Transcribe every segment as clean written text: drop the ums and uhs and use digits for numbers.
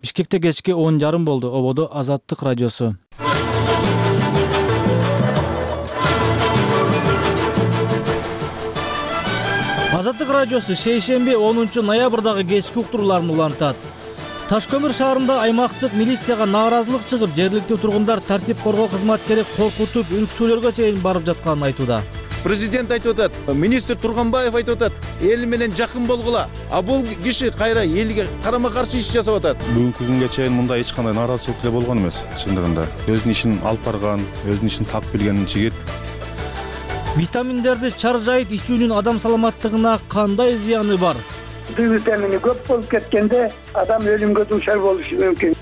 Бишкекте кечки 10:30 болду. Ободо Азаттык радиосу. Азаттык радиосу шейшемби 10 ноябрдагы кечки уктурууларын улантат. Таш көмүр шаарында аймактык милицияга нааразылык чыгып, жергиликтүү тургундар тартип коргоо кызматкери коркутуп, үркүтүүлөргө чейин барып жатканын айтууда. Президент айтып атат, министр Турганбаев айтып атат, эл менен жакын болгула. А бул киши кайра элге карама-каршы иш жасап атат. Бүгүнкү күнгө чейин мындай эч кандай нааразычылык деле болгон эмес, чындыгында. Өзүнүн ишин алып барган, өзүнүн ишин так билген жигит. Витаминдерди чаржайыт ичүүнүн адам саламаттыгына кандай зыяны бар? Д витамини көп болуп кеткенде адам өлүмгө дуушар болушу мүмкүн.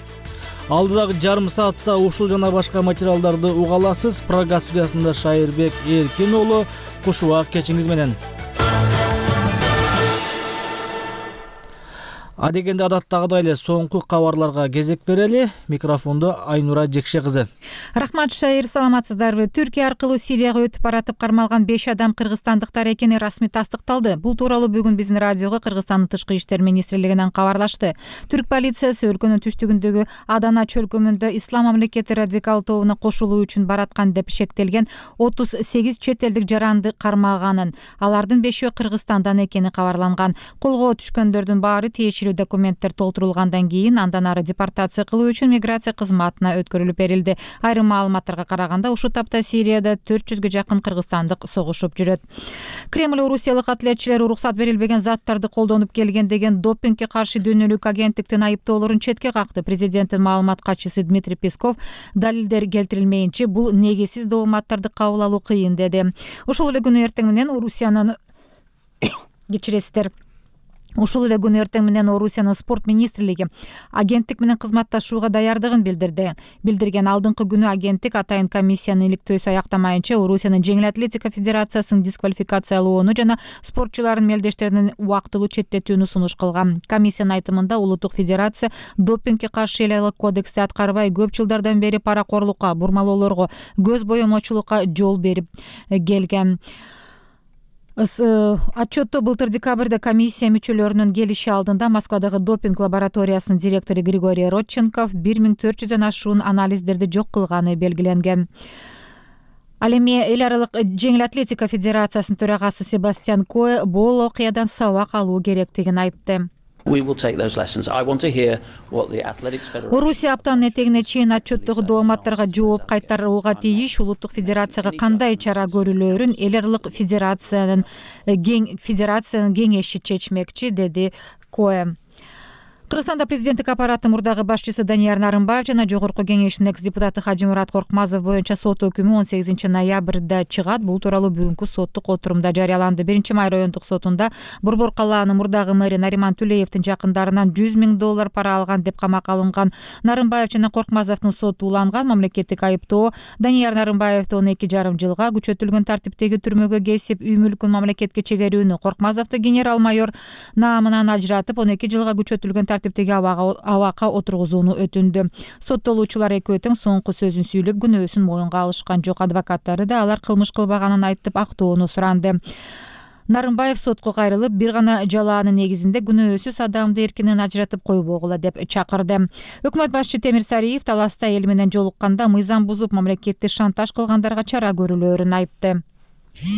Алдыдагы жарым саатта ушул жана башка материалдарды уга аласыз. Программа студиясында Шайырбек Эркин уулу, кушубак кечиңиз менен. Адегенде адаттагыдай эле соңку кабарларга кезек берели. Микрофондо Айнура Жекше кызы. Рахмат Шайыр, саламатсыздарбы? Түркия аркылуу Сирияга өтүп баратып кармалган 5 адам кыргызстандыктар экени расмий тастыкталды. Бул тууралуу бүгүн биздин радиого Кыргызстандын Тышкы иштер министрлигинен кабарлашты. Түрк полициясы өлкөнүн түштүгүндөгү Адана чөлкөмүндө Ислам мамлекети радикал тобуна кошулуу үчүн бараткан деп шектелген 38 чет элдик жаранды кармаганын, алардын 5-өө Кыргызстандан экени кабарланган. Колго түшкөндөрдүн баары тиешелүү документтер толтурулгандан кийин андан ары депортация кылуу үчүн миграция кызматына өткөрүлүп берилди. Айрым маалыматтарга караганда ушул тапта Сирияда 400гө жакын кыргызстандык согушуп жүрөт. Кремль орусиялык атлетчилер уруксат берилбеген заттарды колдонуп келген деген допингге каршы дүйнөлүк агенттиктин айыптоолорун четке какты. Президенттин маалымат катчысы Дмитрий Песков далилдер келтирилмейинче бул негизсиз дооматтарды кабыл алуу кыйын деди. Ушул эле күнү эртең менен Орусиянын спорт министрлиги агенттик менен кызматташууга даярдыгын билдирген. Алдыңкы күнү агенттик атайын комиссиянын иликтөөсү аяктамайынча Орусиянын жеңил атлетика федерациясын дисквалификациялоону жана спортчулардын мелдештеринин убактылуу четтетүүнү сунуш кылган. Комиссиянын айтымында улуттук федерация допингге каршы эле кодексти аткарбай, көп жылдардан бери паракорлукка, бурмалоолорго, көз боемочулукка жол берип келген. Отчетто былтыр декабрда комиссия мүчөлөрүнүн келиши алдында Москвадагы допинг лабораториясынын директору Григорий Родченков 1400дөн ашуун анализдерди жок кылганы белгиленген. Ал эми эл аралык жеңил атлетика федерациясынын төрагасы Себастьян Кое бул окуядан сабак алуу керектигин айтты. Орусия аптанын этегине чейин отчеттогу дооматтарга жооп кайтарууга тийиш. Улуттук федерацияга кандай чара көрүлөөрүн эл аралык федерациянын кеңеши чечмекчи, деди Кое. Кыргызстанда президенттик аппараттын мурдагы башчысы Данияр Нарымбаев жана Жогорку кеңештин экс-депутаты Хажимурат Коркмазов боюнча сот өкүмү 18 ноябрда чыгат. Бул тууралуу бүгүнкү соттук отурумда жарыяланды. 1-май райондук сотунда Борбор калаанын мурдагы мэри Нариман Түлеевдин жакындарынан $100 000 пара алган деп камакка алынган Нарымбаев жана Коркмазовдун соту уланган. Мамлекеттик айыптоо Данияр Нарымбаевди 12,5 жылга күчөтүлгөн тартиптеги түрмөгө кесип, үй мүлкүн мамлекетке чегерүүнү, Коркмазовду генерал-майор наамынан ажыратып 12 жылга күчөтүлгөн тартиптеги абакка отургузууну өтүндү. Соттолуучулар экөө тең соңку сөзүн сүйлөп, күнөөсүн моюнга алышкан жок. Адвокаттары да алар кылмыш кылбаганын айтып, актоону суранды. Нарымбаев сотко кайрылып, бир гана жалаанын негизинде күнөөсүз адамды эркинен ажыратып койбогула деп чакырды. Өкмөт башчы Темир Сариев таласта эл менен жолукканда мыйзам бузуп, мамлекетти шантаж кылгандарга чара көрүлөөрүн айтты.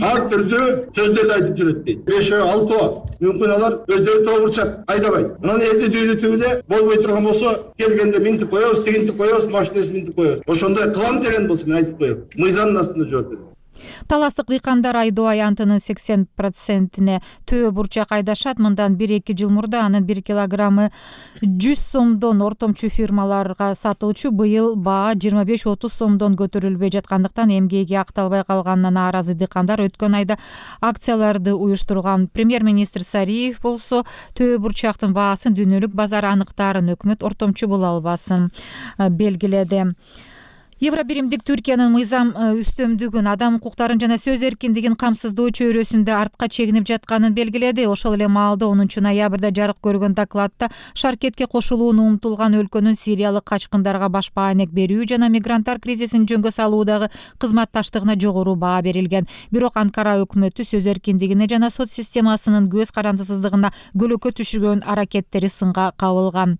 Ар түрдүү сөздөрдү айтып жүрөт дейт. 5-6 мүмкүн алар өздөрү тоогурчак айдабайт. Анан элди дүйрүтүп эле болбой турган болсо, келгенде минтип коебуз, тигинтип коебуз, машинесин минтип коебуз. Ошондой кылам деген болсо мен айтып коем. Мыйзамдын астында жооп берет. Таластык дыйкандар айдоо аянтынын 80%-не төө бурчак айдашат. Мындан 1-2 жыл мурда анын 1 килограммы 100 сомдон ортомчу фирмаларга сатылчу. Быйыл баа 25-30 сомдон көтөрүлбөй жаткандыктан эмгеги акталбай калганына нааразы дыйкандар өткөн айда акцияларды уюштурган. Премьер-министр Сариев болсо төө бурчактын баасын дүйнөлүк базар аныктаарын өкмөт ортомчу боло албасын белгиледи. Евробиримдик Түркиянын мыйзам үстөмдүгүн, адам укуктарын жана сөз эркиндигин камсыздоо чөйрөсүндө артка чегинип жатканын белгиледи. Ошол эле маалда 10 ноябрда жарык көргөн докладта шаркетке кошулууну умтулган өлкөнүн сириялык качкындарга баш баанек берүү жана мигранттар кризисин жөнгө салуудагы кызматташтыгына жогору баа берилген. Бирок Анкара өкмөтү сөз эркиндигине жана сот системасынын көз карандысыздыгына көлөкө түшүргөн аракеттери сынга кабылган.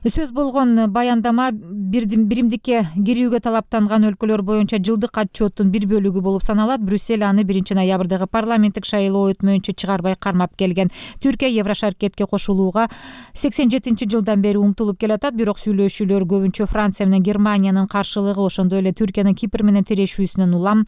Сөз болгон баяндама биримдикке кирүүгө талаптанган өлкөлөр боюнча жылдык отчеттун бир бөлүгү болуп саналат. Брюссель аны 1-ноябрдагы парламенттик шайлоо өтмөйүнчө чыгарбай кармап келген. Түркия Еврошаркетке кошулууга 87-жылдан бери умтулуп келатат, бирок сүйлөшүүлөр көбүнчө Франция менен Германиянын каршылыгы, ошондой эле Түркиянын Кипр менен тирешүүсүнөн улам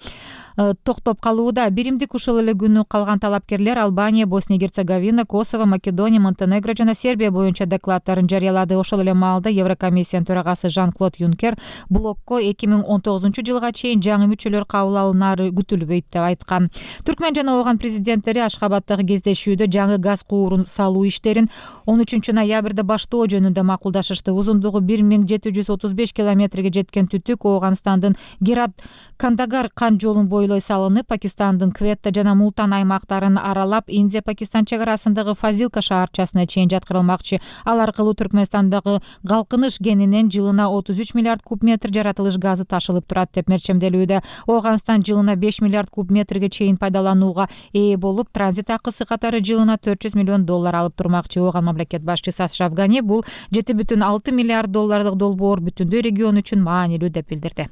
токтоп калууда. Биримдик ушул эле күнү калган талапкерлер Албания, Босния Герцеговина, Косово, Македония, Монтенегро жана Сербия боюнча докладдарын жарыялады. Ошол эле маалда Еврокомиссиянын төрагасы Жан-Клод Юнкер блокко 2019-жылга чейин жаңы мүчөлөр кабыл алынары күтүлбөйт деп айткан. Түркмөн жана Ооган президенттери Ашхабадтагы кездешүүдө жаңы газ куурун салуу иштерин 13-ноябрда баштоо жөнүндө макулдашышты. Узундугу 1735 километрге жеткен түтүк Ооганстандын Герат-Кандагар кан жолун бойлой салынып, Пакистандын Кветта жана Мултан аймактарын аралап, Индия-Пакистан чек арасындагы Фазилка шаарчасына чейин жаткырылмакчы. Ал аркылуу Түркмөнстандагы калкыныш кенинен жылына 33 миллиард куб метр жаратылыш газы ташылып турат деп мерчемделүүдө. Ооганстан жылына 5 миллиард куб метрге чейин пайдаланууга ээ болуп, транзит акысы катары жылына $400 миллион алып турмакчы. Ооган мамлекет башчысы Ашраф Гани бул 7,6 миллиард долларлык долбоор бүтүндөй регион үчүн маанилүү деп билдирди.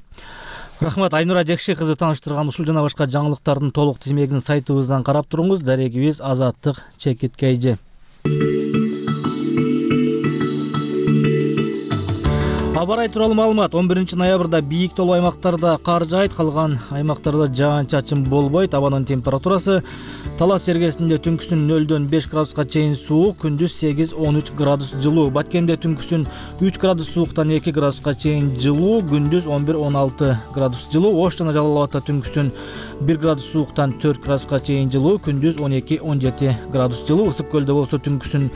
Рахмат, Айнура Жекши кызы тааныштырган ушул жана башка жаңылыктардын толук тизмегин сайтыбыздан карап туруңуз. Дарегибиз Азаттык Чекиткейжи. Абарай тууралуу маалымат. 11-ноябрда бийик толуу аймактарда кар жаайт, калган аймактарда жаан-чачын болбойт. Абанын температурасы Талас жергесинде түнкүсүн 0-дөн 5 градуска чейин суук, күндүз 8-13 градус жылуу. Баткенде түнкүсүн 3 градус сууктан 2 градуска чейин жылуу, күндүз 11-16 градус жылуу. Ош жана Жалал Абадта түнкүсүн 1 градус сууктан 4 градуска чейин жылуу, күндүз 12-17 градус жылуу. Ысык көлдө болсо түнкүсүн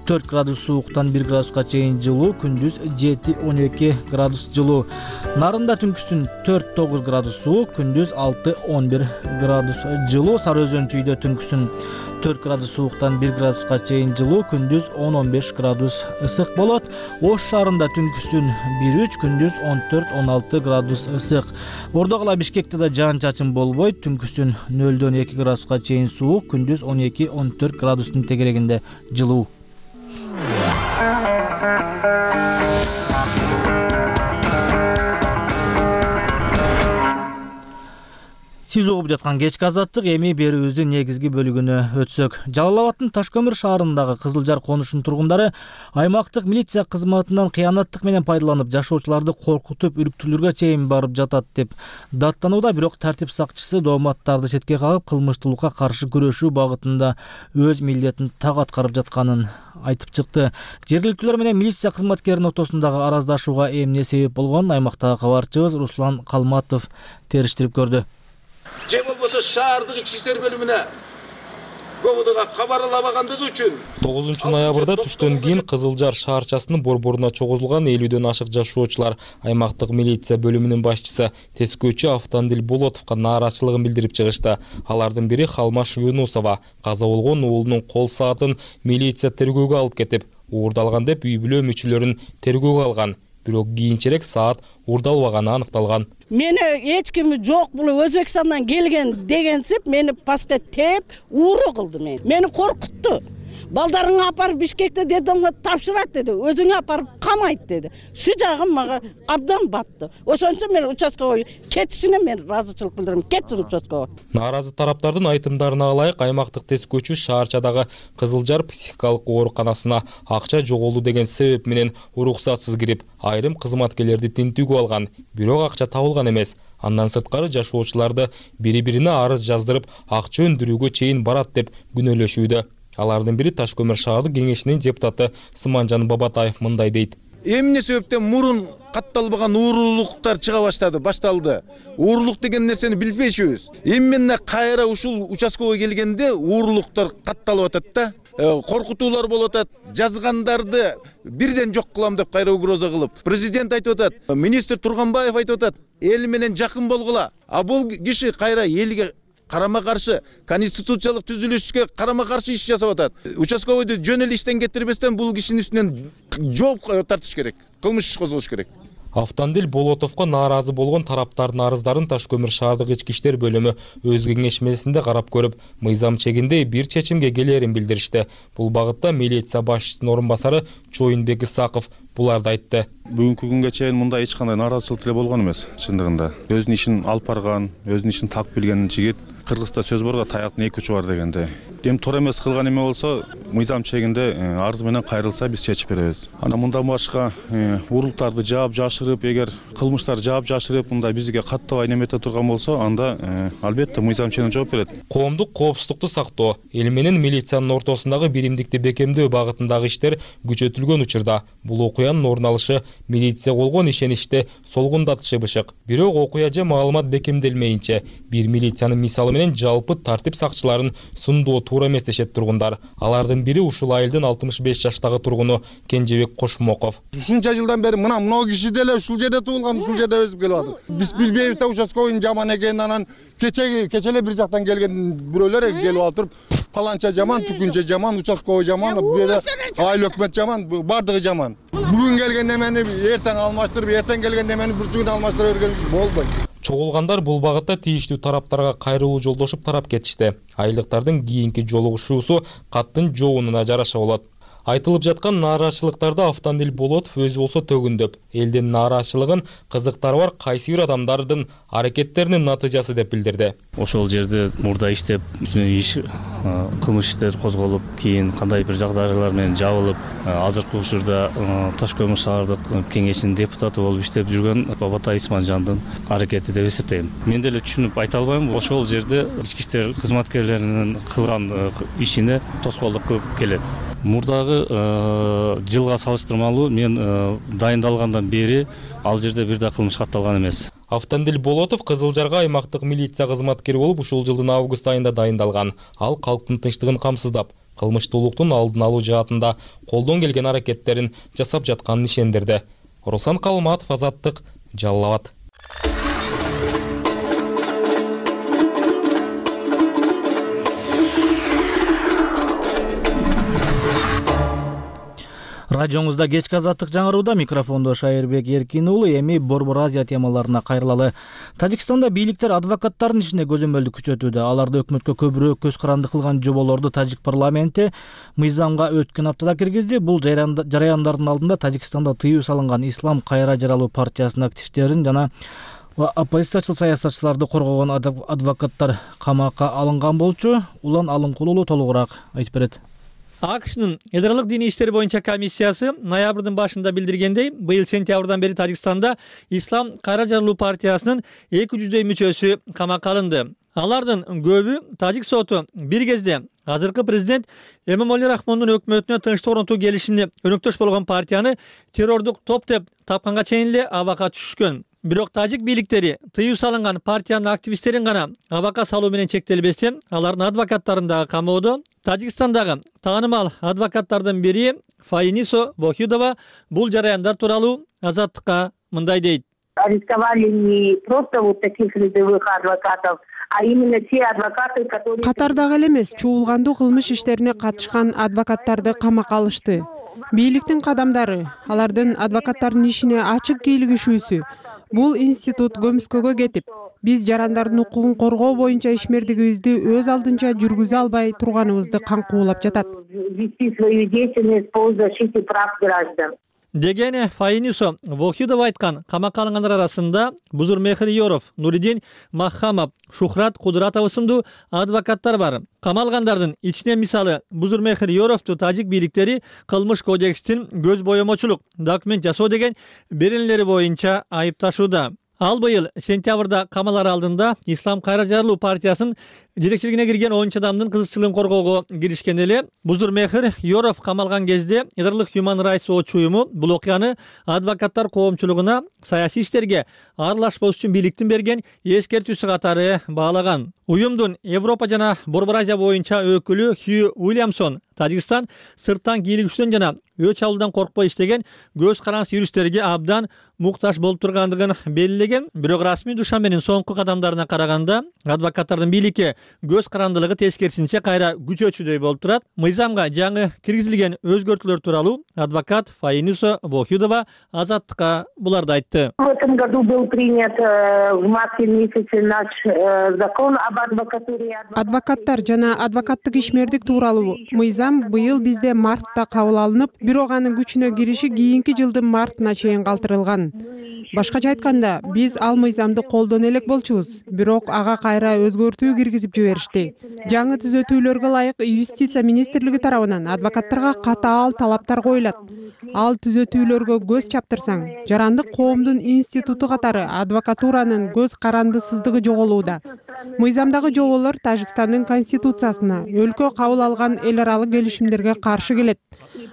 4 градус сууктан 1 градуска чейин жылуу, күндүз 7-12 градус жылуу. Нарында түнкүсүн 4-9 градус суук, күндүз 6-11 градус жылуу. Сары Өзөн чүйдө түнкүсүн 4 градус сууктан 1 градуска чейин жылуу, күндүз 10-15 градус ысык болот. Ош шаарында түнкүсүн 1-3, күндүз 14-16 градус ысык. Ордо кала Бишкекте да жаан-чачын болбойт, түнкүсүн 0-дөн 2 градуска чейин суук, күндүз 12-14 градустун тегерегинде жылуу. Сиз угуп жаткан кечки азаттык, эми берүүбүздүн негизги бөлүгүнө өтсөк. Жалал Абадтын Ташкөмүр шаарындагы Кызылжар конушунун тургундары аймактык милиция кызматынан кыянаттык менен пайдаланып, жашоочуларды коркутуп, үрүктүрүүгө чейин барып жатат деп даттанууда. Бирок тартип сакчысы дооматтарды четке кагып, кылмыштуулукка каршы күрөшүү багытында өз милдетин так аткарып жатканын айтып чыкты. Жергиликтүүлөр менен милиция кызматкеринин ортосундагы араздашууга эмне себеп болгонун аймактагы кабарчыбыз Руслан Калматов териштирип көрдү. Же болбосо шаардык ички иштер бөлүмүнө ГОБУДга кабарламагандыгы үчүн 9-ноябрда түштөн кийин Кызылжар шаарчасынын борборуна чогулган 50-дөн ашык жашоочулар аймактык милиция бөлүмүнүн башчысы Тескөөчү Автандил Болотовго нааразычылыгын билдирип чыгышты. Алардын бири Халмаш Юнусова каза болгон уулунун кол саатын милиция тергөөгө алып кетип, уурдалган деп үй бүлө мүчөлөрүн тергөөгө алган. Бирок кийинчерээк саат уурдалбаганы аныкталган. Мени эч ким жок, бул Өзбекстандан келген дегенсип мени паска теп, ууру кылды мени коркутту. Балдарыңы апарып Бишкекте дедомго тапшырат деди. Өзүңө апарып камайт деди. Шу жагым мага абдан батты. Ошончо мен участкага кетишине мен ыраазычылык билдирем. Кетсин участкага. Нааразы тараптардын айтымдарына ылайык, аймактык тескөөчү шаарчадагы Кызылжар психикалык ооруканасына акча жоголду деген себеп менен уруксатсыз кирип, айрым кызматкерлерди тинтүүгө алган. Бирок акча табылган эмес. Андан сырткары жашоочуларды бири-бирине арыз жаздырып, акча өндүрүүгө чейин барат деп күнөөлөшүүдө. Алардын бири Ташкөмүр шаардык кеңешинин депутаты Сыманжан Бабатаев мындай дейт. Эмне себептен мурун катталбаган уурулуктар чыга башталды. Уурулук деген нерсени билбейчүбүз. Эмне кайра ушул участкага келгенде уурулуктар катталып атат да. Коркутуулар болуп атат. Жазгандарды бирден жок кылам деп кайра угроза кылып. Президент айтып атат, министр Турганбаев айтып атат, эл менен жакын болгула. А бул киши кайра элге карама каршы, конституциялык түзүлүшкө карама каршы иш жасап атат. Участковойду жөн эле иштен кетирбестен бул кишинин үстүнөн жооп тартыш керек. Кылмыш иш козголуш керек. Автандил Болотовго нааразы болгон тараптардын арыздарын Таш-Көмүр шаардык ички иштер бөлүмү өз кеңешмесинде карап көрүп, мыйзам чегинде бир чечимге келерин билдиришти. Бул багытта милиция башчысынын орун басары Чоюнбек Исаков буларды айтты. Бүгүнкү күнгө чейин мындай эч кандай нааразычылык деле болгон эмес, чындыгында. Өзүнүн ишин алып барган, өзүнүн ишин так билген жигит. Кыргызда сөз барга таяктын эки учу бар дегенде. Эми туура эмес кылган эме болсо, мыйзам чегинде арыз менен кайрылса биз чечип беребиз. Ана мындан башка уруктарды жаап жашырып, эгер кылмыштар жаап жашырып, мындай бизге каттабай немете турган болсо, анда албетте мыйзам чегинде жооп берет. Коомдук коопсуздукту сактоо, эл менен милициянын ортосундагы биримдикти бекемдөө багытындагы иштер күчөтүлгөн учурда бул окуянын орун алышы милиция болгон ишеничти солгундатышы бышык. Бирок окуя же маалымат бекемделмейинче бир милициянын мисалы менен жалпы тартип сакчыларын сындоо туура эмес дешет тургундар. Алардын бири ушул айылдын 65 жаштагы тургуну Кенжебек Кошмоков. Ушунча жылдан бери мына киши деле ушул жерде туулган, ушул жерде өсүп келип атат. Биз билбейбиз да участковыйдын жаман экенин, анан кечеле бир жактан келген бирөөлөр келип отуруп, паланча жаман, түкүнчө жаман, участковый жаман, бу жерде айыл өкмөт жаман, бардыгы жаман. Бүгүн келген немени эртең алмаштырып, эртең келген немени бүрчүгүн алмаштыра бергенибиз болбойт. Чогулгандар бул багытта тийиштүү тараптарга кайрылуу жолдошуп тарап кетишти. Айлыктардын кийинки жолугушуусу каттын жоонуна жараша болот. Айтылып жаткан нааразычылыктарда Автандил Болотов өзү болсо төгүндөп, элдин нааразычылыгын кызыктары бар кайсы бир адамдардын аракеттеринин натыйжасы деп билдирди. Ошол жерде мурда иштеп, кылмыш иштер козголуп, кийин кандай бир жагдайлар менен жабылып, азыркы учурда Таш-Көмүр шаардык кеңешинин депутаты болуп иштеп жүргөн Бабатай Исманжандын аракети деп эсептейм. Мен деле түшүнүп айта албайм, ошол жерде ички иштер кызматкерлеринин кылган ишине тоскоолдук кылып келет. Мурдагы жылга салыштырмалуу мен дайындалгандан бери ал жерде бир да кылмыш катталган эмес. Автандил Болотов Кызылжарга аймактык милиция кызматкери болуп ушул жылдын август айында дайындалган. Ал калктын тынчтыгын камсыздап, кылмыштуулуктун алдын алуу жаатында колдон келген аракеттерин жасап жатканын ишендирди. Руслан Калматов, Азаттык, Жалал Абад. Радионузда кечки Азаттык жаңырууда, микрофондо Шайырбек Эркин уулу. Эми Борбор Азия темаларына кайрылалы. Тажикстанда бийликтер адвокаттардын ишине көзөмөлдү күчөтүүдө. Аларды өкмөткө көбүрөөк көз каранды кылган жоболорду Тажик парламенти мыйзамга өткөн аптада киргизди. Бул жараяндардын алдында Тажикстанда тыюу салынган Ислам кайра жаралуу партиясынын активисттерин жана оппозициячыл саясатчыларды коргогон адвокаттар камакка алынган болчу. Улан Алынкулуу толугураак айтып берет. АКШнын эл аралык диний иштер боюнча комиссиясы ноябрдын башында билдиргендей, быйыл сентябрдан бери Тажикстанда Ислам кайра жаралуу партиясынын 200 мүчөсү камакка алынды. Алардын көбү Тажик соту бир кезде азыркы президент Эмомали Рахмондун өкмөтүнө тынчтык орнотуу келишимине өнөктөш болгон партияны террордук топ деп тапканга чейин эле абакка түшүшкөн. Бирок тажик бийликтери тыюу салынган партиянын активисттерин гана абакка салуу менен чектелбестен, алардын адвокаттарын дагы камоодо. Тажикстандагы таанымал адвокаттардын бири Фаинисо Вохидова бул жараяндар тууралуу Азаттыкка мындай дейт. Арестовали не просто вот таких рядовых адвокатов, а именно те адвокаты, которые... Катардагы эле эмес, чуулгандуу кылмыш иштерине катышкан адвокаттарды камакка алышты. Бийликтин кадамдары, алардын адвокаттардын ишине ачык кийлигишүүсү. Бул институт көмүскөгө кетип, биз жарандардын укугун коргоо боюнча ишмердигибизди өз алдынча жүргүзө албай турганыбызды каңкуулап жатат. Деген Фаинисо Вохидова айткан. Камакка алынгандар арасында Бузурмехир Йоров, Нуридин Махамов, Шухрат Кудратов сындуу адвокаттар бар. Камалгандардын ичинен мисалы Бузурмехир Йоровду тажик бийликтери кылмыш кодекстин көз боемочулук документ жасоо деген беренелери боюнча айыпташууда. Ал быйыл сентябрда камалар алдында Ислам кайра жаралуу партиясынын жетекчилигине кирген 10 адамдын кызыкчылыгын коргоого киришкен эле. Бузурмехир Йоров камалган кезде Эдарлык Human Rights Watch уюму бул окуяны адвокаттар коомчулугуна саясий иштерге аралашпоо үчүн бийликтин берген эскертүүсү катары баалаган. Уюмдун Европа жана Борбор Азия боюнча өкүлү Хью Уильямсон Тажикстан сырттан кийлигишүүдөн жана өч алуудан коркпой иштеген көз карандысы юристтерге абдан муктаж болуп тургандыгын белгилеген. Бирок расмий Душанбенин соңку кадамдарына караганда адвокаттардын бийликке көз карандылыгы тескерисинче кайра күчөчүдөй болуп турат. Мыйзамга жаңы киргизилген өзгөртүүлөр тууралуу адвокат Фаинуса Вохидова Азаттыкка буларды айтты. В этом году был принят в марте месяце наш закон об адвокатуре. Адвокаттар жана адвокаттык ишмердик тууралуу мыйзам быйыл бизде мартта кабыл алынып, бирок анын күчүнө кириши кийинки жылдын мартына чейин калтырылган. Башкача айтканда, биз ал мыйзамды колдоно элек болчубуз, бирок ага кайра өзгөртүү киргизип жиберишти. Жаңы түзөтүүлөргө ылайык юстиция министрлиги тарабынан адвокаттарга катаал талаптар коюлат. Ал түзөтүүлөргө көз чаптырсаң, жарандык коомдун институту катары адвокатуранын көз карандысыздыгы жоголууда. Мыйзамдагы жоболор Тажикстандын конституциясына, өлкө кабыл алган эл аралык келишимдерге каршы келет.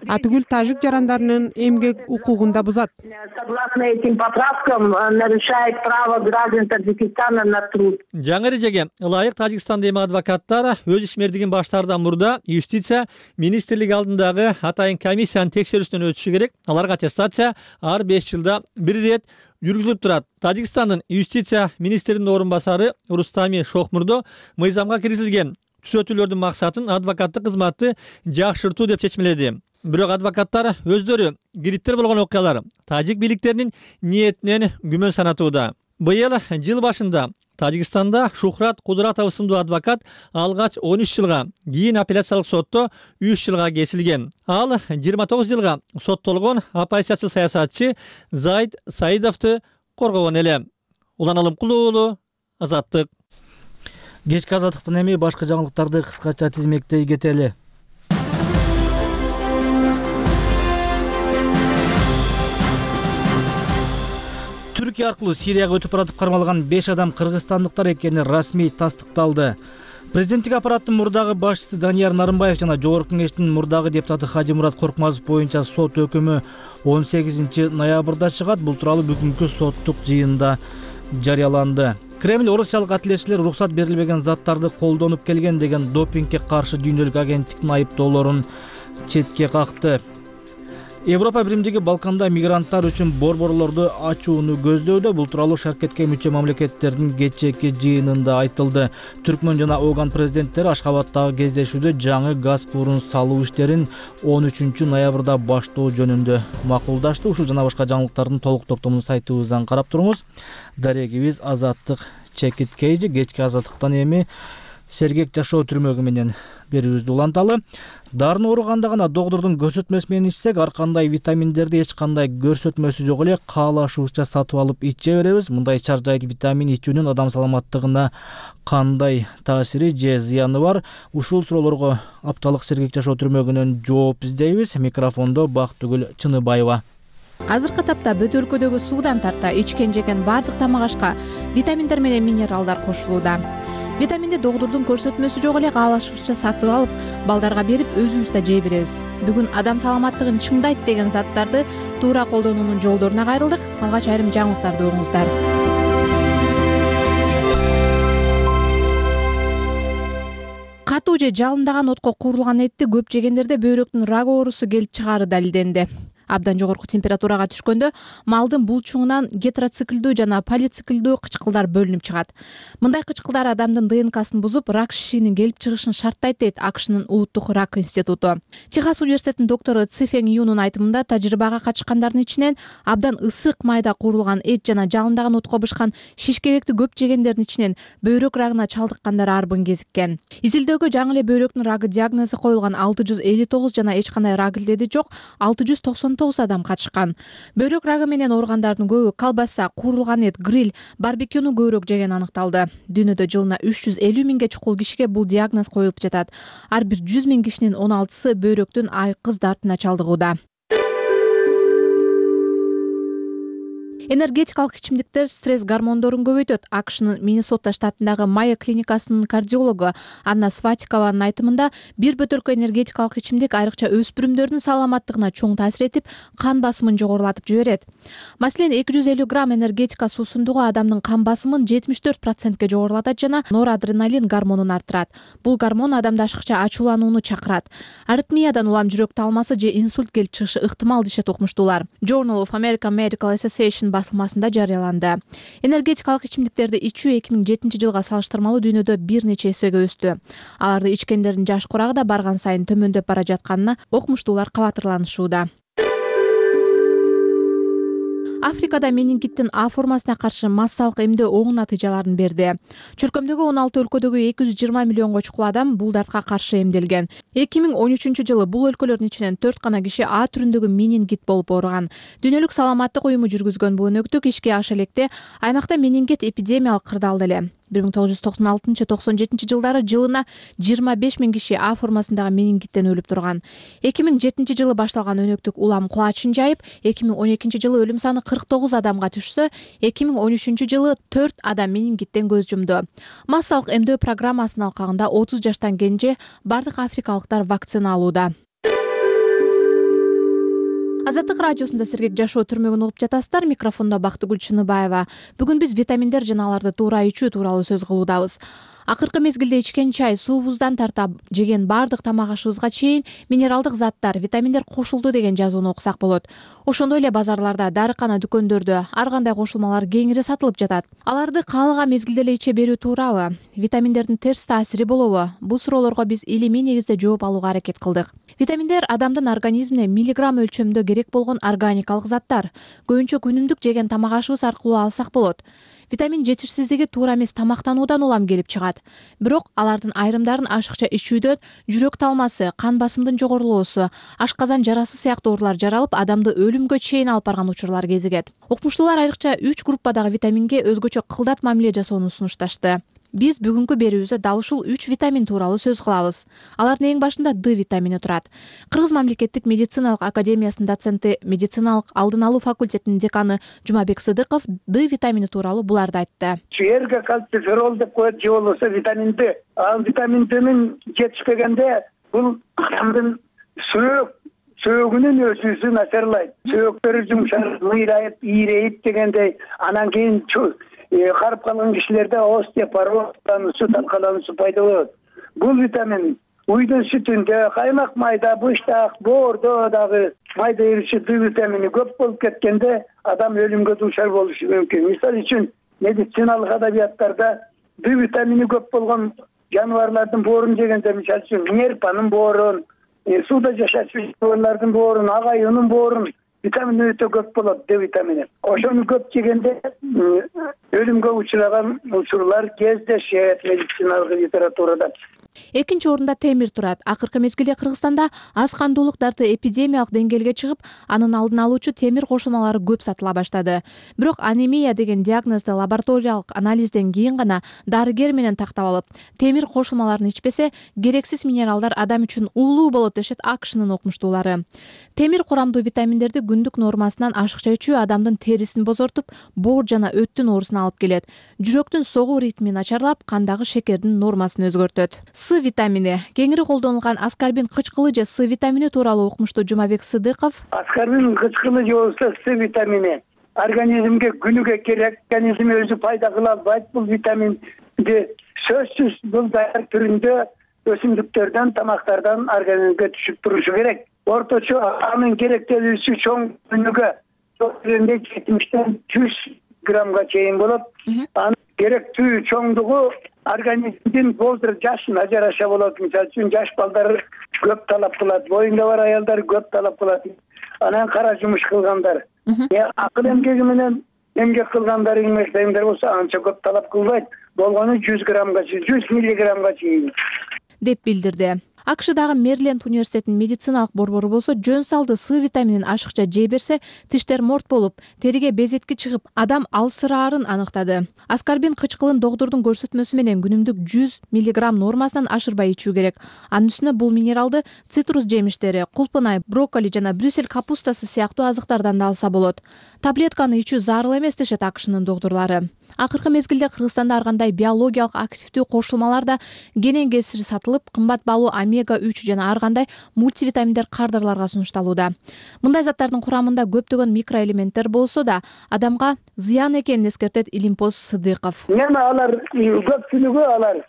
Атүгүл тажик жарандарынын эмгек укугун да бузат. Согласно этим поправкам нарушает право граждан Таджикистана на труд. Жаңы эрежеге ылайык Тажикстанда эми адвокаттар өз ишмердигин баштаардан мурда юстиция министрлиги алдындагы атайын комиссиянын текшерүүсүнөн өтүшү керек. Аларга аттестация ар 5 жылда бир ирет жүргүзүлүп турат. Тажикстандын юстиция министринин орун басары Рустами Шохмурдо мыйзамга киргизилген түзөтүүлөрдүн максатын адвокаттык кызматты жакшыртуу деп чечмеледи. Бирок адвокаттар өздөрү кириттер болгон окуялар тажик бийликтеринин ниетинен күмөн санатууда. Быйыл жыл башында Тажикстанда Шухрат Кудуратов сындуу адвокат алгач 13 жылга, кийин апелляциялык сотто 3 жылга кесилген. Ал 29 жылга соттолгон оппозициячы саясатчы Заид Саидовду коргогон эле. Улан Алымкулуу уулу, Азаттык. Кечки Азаттыктан эми башка жаңылыктарды кыскача тизмектей кетели. Түркия аркылуу Сирияга өтүп баратып кармалган 5 адам кыргызстандыктар экени расмий тастыкталды. Президенттик аппараттын мурдагы башчысы Данияр Нарымбаев жана Жогорку Кеңештин мурдагы депутаты Хажимурат Коркмазов боюнча сот өкүмү 18 ноябрда чыгат. Бул тууралуу бүгүнкү соттук жыйында жарыяланды. Кремль орусиялык атлетчилер уруксат берилбеген заттарды колдонуп келген деген допингге каршы дүйнөлүк агенттиктин айыптоолорун четке какты. Европа биримдиги Балканда мигранттар үчүн борборлорду ачууну көздөүүдө. Бул тууралуу шаркетке мүчө мамлекеттердин кечээки жыйынында айтылды. Түркмөн жана Оган президенттери Ашхабадтагы кездешүүдө жаңы газ куурун салуу иштерин 13 ноябрда баштоо жөнүндө макулдашты. Ушул жана башка жаңылыктардын толук топтомун сайтыбыздан карап туруңуз. Дарегибиз Азаттык Чекиткейжи. Кечки Азаттыктан эми сергек жашоо түрмөгү менен берүүбүздү уланталы. Дарын ооруганда гана доктордун көрсөтмөсү менен ичсек, ар кандай витаминдерди эч кандай көрсөтмөсү жок эле каалашууча сатып алып иче беребиз. Мындай чар жайдуу витамин ичүүнүн адам саламаттыгына кандай таасири же зыяны бар? Ушул суроолорго апталык сергек жашоо түрмөгүнөн жооп издейбиз. Микрофондо Бактыгүл Чыныбаева. Азыркы тапта бүт өлкөдөгү суудан тарта ичкен жеген бардык тамак ашка витаминдер менен минералдар кошулууда. Витаминди доктордун көрсөтмөсү жок эле каалашууча сатып алып, балдарга берип өзүбүз да жей беребиз. Бүгүн адам саламаттыгын чыңдайт деген заттарды туура колдонуунун жолдоруна кайрылдык. Алгач айрым жаңылыктарды угуңуздар. Катуу же жалындаган отко куурулган этти көп жегендерде бөйрөктүн рак оорусу келип чыгаары далилденди. Абдан жогорку температурага түшкөндө малдын булчуңунан гетероциклдүү жана полициклдүү кычкылдар бөлүнүп чыгат. Мындай кычкылдар адамдын ДНКсын бузуп, рак шишинин келип чыгышын шарттайт дейт АКШнын улуттук рак институту. Техас университетинин доктору Цифен Юнун айтымында, тажрыйбага катышкандардын ичинен абдан ысык майда куурулган эт жана жалындаган отко бышкан шишкебекти көп жегендердин ичинен бөйрөк рагына чалдыккандар арбын кезиккен. Изилдөөгө жаңы эле бөйрөктүн рагы диагнозу коюлган 659 жана эч кандай рак илдеди жок 699 адам катышкан. Бөйрөк рагы менен ооругандардын көбү колбаса, куурулган эт, гриль, барбекюну көбүрөөк жеген аныкталды. Дүйнөдө жылына 350 миңге чукул кишиге бул диагноз коюлуп жатат. Ар бир 100 миң кишинин 16сы бөйрөктүн айкыз дартына чалдыгууда. Энергетикалык ичимдиктер стресс гормондорун көбөйтөт. АКШнын Миннесота штатындагы Майя клиникасынын кардиологу Анна Сватикованын айтымында, бир бөтөлкө энергетикалык ичимдик айрыкча өспүрүмдөрдүн саламаттыгына чоң таасир этип, кан басымын жогорулатып жиберет. Маселен, 250 грамм энергетика суусундугу адамдын кан басымын 74%ке жогорулатат жана норадреналин гормонун арттырат. Бул гормон адамда ашыкча ачууланууну чакырат. Аритмиядан улам жүрөк талмасы же инсульт келип чыгышы ыктымал дешет окумуштуулар. Journal of American Medical Association басылмасында жарыяланды. Энергетикалык ичимдиктерди ичүү 2007 жылга салыштырмалуу дүйнөдө бир нече эсеге өстү. Аларды ичкендердин жаш курагы да барган сайын төмөндөп бара жатканына окумуштуулар кабатырланышууда. Африкада менингиттин А формасына каршы массалык эмдөө оң натыйжаларын берди. Чуркөмдөгү 16 өлкөдөгү 220 миллионго чукул адам бул дартка каршы эмделген. 2013 жылы бул өлкөлөрдүн ичинен 4 гана киши А түрүндөгү менингит болуп ооруган. Дүйнөлүк саламаттык уюму жүргүзгөн бул өнөктүк ишке аша электе аймакта менингит эпидемиялык кырдаалды эле. 1996-97 жылдары жылына 25 000 киши А формасындагы менингиттен өлүп турган. 2007 жылы башталган өнөктүк улам кулачын жайып, 2012 жылы өлүм саны 49 адамга түшсө, 2013 жылы 4 адам менингиттен көз жумду. Массалык эмдөө программасынын алкагында 30 жаштан кенже бардык африкалыктар вакцина алууда. Азаттык радиосунда сергек жашоо түрмөгүн угуп жатасыздар. Микрофондо Бактыгүл Чыныбаева. Бүгүн биз витаминдер жана аларды туура ичүү тууралуу сөз кылуудабыз. Акыркы мезгилде ичкен чай, суубуздан тарта жеген бардык тамак ашыбызга чейин минералдык заттар, витаминдер кошулду деген жазууну окусак болот. Ошондой эле базарларда, дарыкана дүкөндөрдө ар кандай кошулмалар кеңири сатылып жатат. Аларды каалаган мезгилде эле иче берүү туурабы? Витаминдердин терс таасири болобу? Бул суроолорго биз илимий негизде жооп алууга аракет кылдык. Витаминдер адамдын организмине миллиграмм өлчөмдө керек болгон органикалык заттар. Көбүнчө күнүмдүк жеген тамак ашыбыз аркылуу алсак болот. Витамин жетишсиздиги туура эмес тамактануудан улам келип чыгат. Бирок алардын айрымдарын ашыкча ичүүдөн жүрөк талмасы, кан басымдын жогорулоосу, ашказан жарасы сыяктуу оорулар жаралып, адамды өлүмгө чейин алып барган учурлар кезигет. Окумуштуулар айрыкча 3 группадагы витаминге өзгөчө кылдат мамиле жасоону сунушташты. Биз бүгүнкү берүүбүздө дал ушул 3 витамин тууралуу сөз кылабыз. Алардын эң башында Д витамини турат. Кыргыз мамлекеттик медициналык академиясынын доценти, медициналык алдын алуу факультетинин деканы Жумабек Сыдыков Д витамини тууралуу буларды айтты. Эрге кальций ферол деп коет, же болбосо витамин Д. Ал витамин Д'нин жетишпегенде бул адамдын сөөгүнүн өсүүсү начарлайт. Сөөктөрү жумшап, мыйрайып, ийрейип дегендей, анан кийин карып калган кишилерде остеопороз, сут талкалануусу пайда болот. Бул витамин уйдун сүтүндө, каймак майда, быштак, боордо дагы майда эриши Д витамини көп болуп кеткенде адам өлүмгө дуушар болушу мүмкүн. Мисалы үчүн медициналык адабияттарда Д витамини көп болгон жаныбарлардын боорун жегенде, мисалы үчүн нерпанын боорун, сууда жашачу жаныбарлардын боорун, агайынын боорун витамин өтө көп болот, Д витамини. Ошону көп жегенде өлүмгө учураган учурлар кездешет медициналык литературада. Экинчи орунда темир турат. Акыркы мезгилде Кыргызстанда аз кандуулук дарты эпидемиялык деңгээлге чыгып, анын алдын алуучу темир кошулмалары көп сатыла баштады. Бирок анемия деген диагнозду лабораториялык анализден кийин гана дарыгер менен тактап алып, темир кошулмаларын ичпесе, керексиз минералдар адам үчүн уулуу болот дешет АКШнын окумуштуулары. Темир курамдуу витаминдерди күндүк нормасынан ашыкча ичүү адамдын терисин бозортуп, боор жана өттүн оорусуна алып келет. Жүрөктүн согуу ритмин начарлап, кандагы шекердин нормасын өзгөртөт. С витамини кеңири колдонулган аскарбин кычкылы же С витамини тууралуу окумуштуу Жумабек Сыдыков. Аскарбин кычкылы же болбосо С витамини организмге күнүгө керек, организм өзү пайда кыла албайт. Бул витаминди сөзсүз бул даяр түрүндө өсүмдүктөрдөн, тамактардан организмге түшүп турушу керек. Орточо анын керектелүүсү чоң күнүгө 70-тен 100 граммга чейин болот. Анын керектүү чоңдугу организмдин возраст жашына жараша болот. Мисалы үчүн жаш балдар көп талап кылат, боюнда бар аялдар көп талап кылат. Анан кара жумуш кылгандар, акыл эмгеги менен эмгек кылгандар, эмгектегендер болсо анча көп талап кылбайт. Болгону 100 граммга, 100 миллиграммга чейин деп билдирди. АКШдагы Мэриленд университетинин медициналык борбору болсо жөн салды С витаминин ашыкча жей берсе тиштер морт болуп, териге безетки чыгып, адам алсыраарын аныктады. Аскарбин кычкылын доктурдун көрсөтмөсү менен күнүмдүк 100 мг нормасынан ашырбай ичүү керек. Анын үстүнө бул минералды цитрус жемиштери, кулпунай, брокколи жана брюссель капустасы сыяктуу азыктардан да алса болот. Таблетканы ичүү зарыл эмес дешет АКШнын доктурлары. Акыркы мезгилде Кыргызстанда ар кандай биологиялык активдүү кошулмалар да кенен кесир сатылып, кымбат баалуу омега-3 жана ар кандай мультивитаминдер кардарларга сунушталууда. Мындай заттардын курамында көптөгөн микроэлементтер болсо да, адамга зыян экенин эскертет Илимпоз Сыдыков. Алар көпчүлүгү алар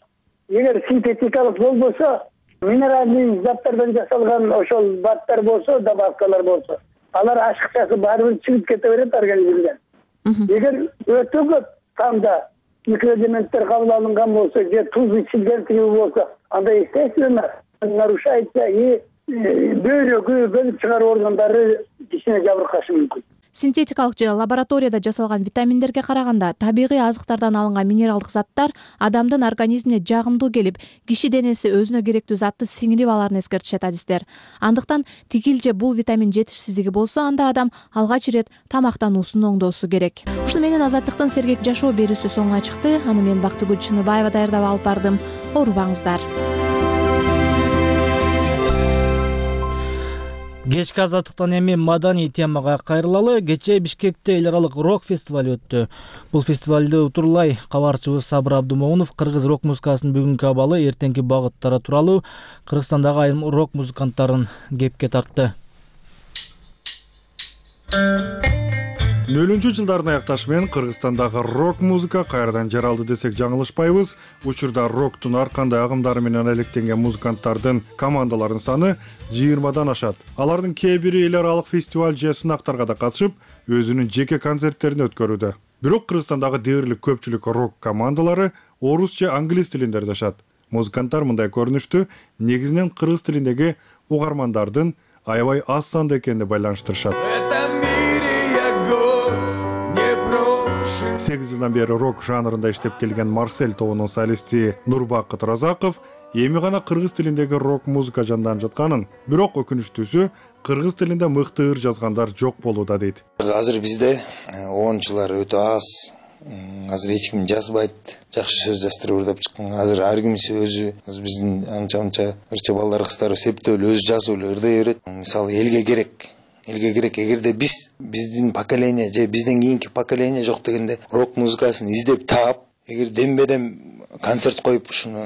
эгер синтетикалык болбосо, минералдык заттардан жасалган ошол баттар болсо, добавкалар болсо, алар ашыкчасы баары чыгып кете берет организмден. Эгер өтө көп тамда микроэлементтер кабыл алынган болсо, же туз ичилген болсо, анда естественно нарушается и бөйрөгү, бөлүп чыгаруу органдары кишине жабыркашы мүмкүн. Синтетикалык же лабораторияда жасалган витаминдерге караганда табигый азыктардан алынган минералдык заттар адамдын организмине жагымдуу келип, киши денеси өзүнө керектүү затты сиңирип аларын эскертишет адистер. Андыктан тигил же бул витамин жетишсиздиги болсо, анда адам алгач ирет тамактануусун оңдоосу керек. Ушуну менен Азаттыктын сергек жашоо берүүсү соңуна чыкты. Аны мен Бактыгүл Чыныбаева даярдап алып бардым. Оорубаңыздар. Кечки Азаттыктан эми маданий темага кайрылалы. Кечээ Бишкекте эл аралык рок фестивали өттү. Бул фестивалды утурлай кабарчыбыз Сабыр Абдымомунов кыргыз рок музыкасынын бүгүнкү абалы, эртеңки багыттары тууралуу Кыргызстандагы айрым рок музыканттарын кепке тартты. 00 жылдардын аякташы менен Кыргызстандагы рок музыка кайрадан жаралды десек жаңылышпайбыз. Учурда роктун ар кандай агымдары менен алектенген музыканттардын командаларынын саны 20дан ашат. Алардын кээ бири эл аралык фестиваль же сынактарга да катышып, өзүнүн жеке концерттерин өткөрүүдө. Бирок Кыргызстандагы дээрлик көпчүлүк рок командалары орус же англис тилинде ырдашат. Музыканттар мындай көрүнүштү негизинен кыргыз тилиндеги угармандардын аябай аз санда экенине байланыштырышат. 8 жылдан бери рок жанрында иштеп келген Марсель тобунун солисти Нурбакыт Разаков эми гана кыргыз тилиндеги рок музыка жанданып жатканын, бирок өкүнүчтүүсү кыргыз тилинде мыкты ыр жазгандар жок болууда дейт. Азыр бизде оончулар өтө аз. Азыр эч ким жазбайт, жакшы сөз жаздырып ырдап чыккан. Азыр ар кимиси өзү, биздин анча ырча балдар кыздар септөө өзү жазып эле ырдай берет. Мисалы элге керек, эгерде биздин поколение же бизден кийинки поколение жок дегенде рок музыкасын издеп таап, эгер дембедем концерт коюп ушуну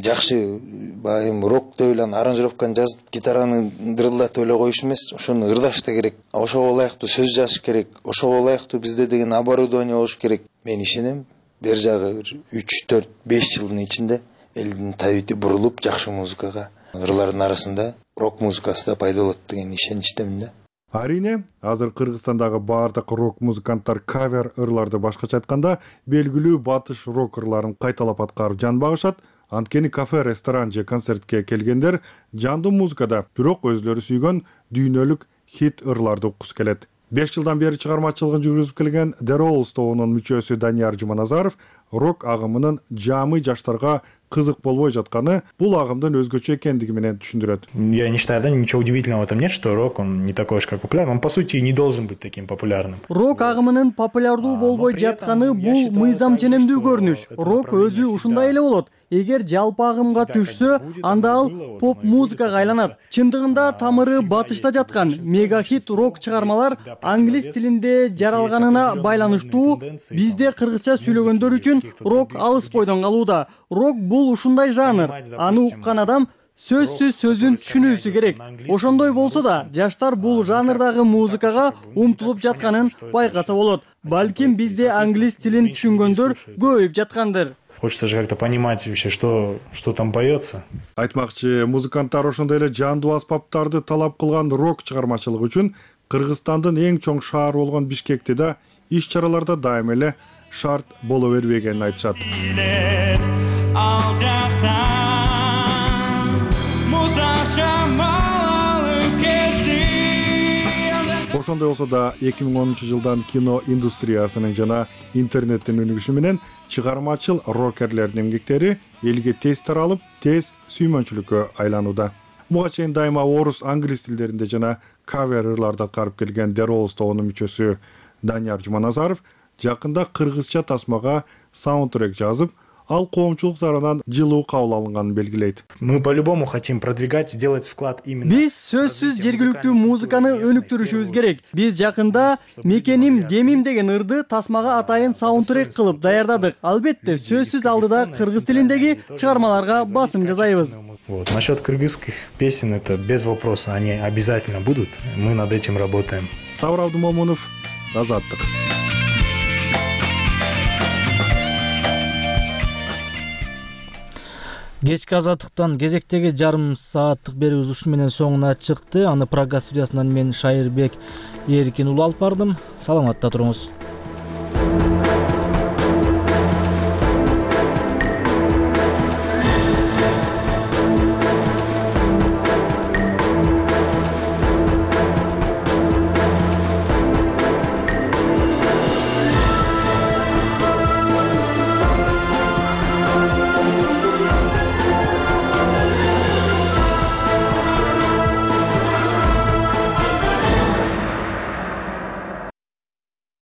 жакшы байым рок деп эле аранжировканы жазып, гитараны дырылдатып эле коюш эмес, ошону ырдаш да керек. Ошого ылайыктуу сөз жазыш керек. Ошого ылайыктуу бизде деген оборудование болуш керек. Мен ишенем, бер жагы 3, 4, 5 жылдын ичинде элдин табити бурулуп, жакшы музыкага ырлардын арасында рок музыкасы да пайда болот деген ишеничтемин да. Арине, азыр Кыргызстандагы баардык рок музыканттар кавер ырларды башкача айтканда белгилүү батыш рок ырларын кайталап аткарып жан багышат. Анткени кафе, ресторан же концертке келгендер жандуу музыкада, бирок өзлөрү сүйгөн дүйнөлүк хит ырларды уккусу келет. 5 жылдан бери чыгармачылыгын жүргүзүп келген The Rolls тобунун мүчөсү Данияр Жуманазаров рок агымынын жамый жаштарга кызык болбой жатканы бул агымдын өзгөчө экендиги менен түшүндүрөт. Я не считаю, да, ничего удивительного в этом нет, что рок, он не такой уж как популярный. Он, по сути, не должен быть таким популярным. Рок агымынын популярдуу болбой жатканы бул мыйзам ченемдүү көрүнүш. Рок өзү ушундай эле болот. Эгер жалпы агымга түшсө, анда ал поп музыкага айланат. Чындыгында тамыры батышта жаткан мега-хит рок чыгармалар англис тилинде жаралганына байланыштуу. Бизде кыргызча сүйлөгөндөр үчүн рок алыс бойдон калууда. Рок бул ушундай жанр. Аны уккан адам сөзсүз сөзүн түшүнүүсү керек. Ошондой болсо да, жаштар бул жанрдагы музыкага умтулуп жатканын байкаса болот. Балким бизде англис тилин түшүнгөндөр көбөйүп жаткандыр. Хочется же как-то понимать вообще, что там поется. Айтмакчы, музыканттар ошондой эле жандуу аспаптарды талап кылган рок чыгармачылыгы үчүн Кыргызстандын эң чоң шаар болгон Бишкекте да иш-чараларда дайым эле шарт боло бербегенин айтышат. Ошондой болсо да 2010 жылдан кино индустриясынын жана интернеттин өнүгүшү менен чыгармачыл рокерлердин эмгектери элге тез таралып, тез сүймөнчүлүккө айланууда. Буга чейин дайыма орус, англис тилдеринде жана кавер ырларды аткарып келген Деролс тобунун мүчөсү Данияр Жуманазаров жакында кыргызча тасмага саундтрек жазып, ал коомчулук тарабынан жылуу кабыл алынганын белгилейт. Мы по-любому хотим продвигать, сделать вклад именно. Биз сөзсүз жергиликтүү музыканы өнүктүрүшүбүз керек. Биз жакында Мекеним Демим деген ырды тасмага атайын саундтрек кылып даярдадык. Албетте, сөзсүз алдыда кыргыз тилиндеги чыгармаларга басым жасайбыз. Вот. Насчет кыргызских песен это без вопроса, они обязательно будут. Мы над этим работаем. Сабыр Абдумомунов, Азаттык. Кечки Азаттыктан кезектеги жарым сааттык берүүбүз ушу менен соңуна чыкты. Аны Прага студиясынан мен Шайырбек Эркин уулу алып бардым. Саламатта туруңуз.